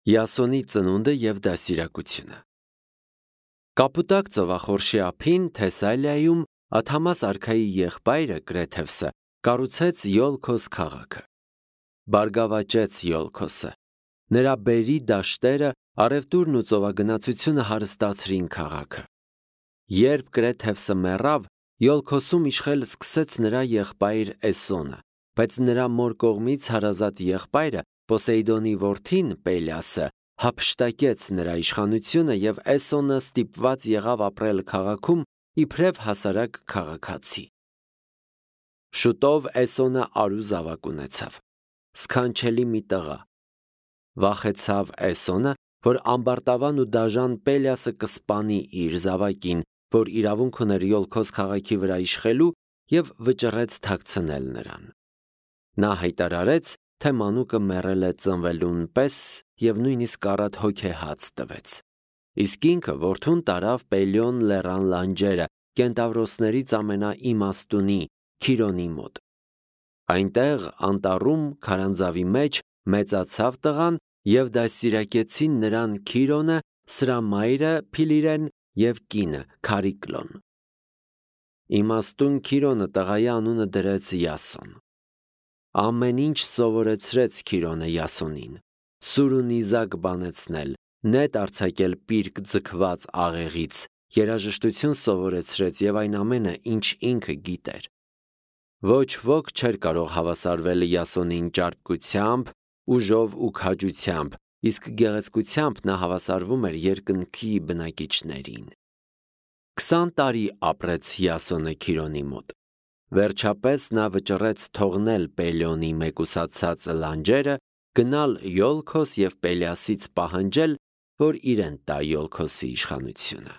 Յասոնի ծնունդը և դաստիարակությունը։ Կապուտակ ծովախորշի ափին Թեսալիայում Աթամաս արքայի եղբայրը Կրեթևսը կառուցեց Յոլքոս քաղաքը։ Բարգավաճեց Յոլքոսը։ Նրա բերի դաշտերը, առևտուրն ու ծովագնացությունը հարստացրին քաղաքը։ Երբ Կրեթևսը մեռավ, Յոլքոսում իշխել սկսեց նրա եղբայր Էսոնը, բայց նրա մոր կողմից հարազատ եղբայրը Պոսեյդոնի որդին Պելիասը հափշտակեց նրա իշխանությունը և Էսոնը ստիպված եղավ ապրել քաղաքում իբրև հասարակ քաղաքացի։ Շուտով Էսոնը արու զավակ ունեցավ, սքանչելի մի տղա։ Վախեցավ Էսոնը, որ ամբարտավան ու դաժան Պելիասը կսպանի իր զավակին, որ իրավունք ուներ Յոլքոս քաղաքի վրա իշխելու, և վճռեց թաքցնել նրան։ Նա հայտարարեց, թե մանուկը մեռել է ծնվելուն պես և նույնիսկ առատ հոգեհաց տվեց։ Իսկ ինքը որդուն տարավ Պելիոն լեռան լանջերը, կենտավրոսներից ամենաիմաստունի Քիրոնի մոտ։ Այնտեղ անտառում քարանձավի մեջ մեծացավ տղան և դաստիարակեցին նրան Քիրոնը, սրա մայրը Փիլիրեն և կինը Քարիկլոն։ Իմաստուն Քիրոնը տղայի անունը դրեց Յասոն։ Ամեն ինչ սովորեցրեց Քիրոնը Յասոնին՝ սուր ու նիզակ բանեցնել, նետ արձակել պիրկ ձգված աղեղից, երաժշտություն սովորեցրեց և այն ամենը, ինչ ինքը գիտեր։ Ոչ ոք չէր կարող հավասարվել Յասոնին ճարպկությամբ, ուժով ու քաջությամբ, իսկ գեղեցկությամբ նա հավասարվում էր երկնքի բնակիչներին։ 20 տարի ապրեց Յասոնը Քիրոնի մոտ։ Վերջապես նա վճռեց թողնել Պելիոնի մեկուսացած լանջերը, գնալ Յոլքոս և Պելիասից պահանջել, որ իրեն տա Յոլքոսի իշխանությունը։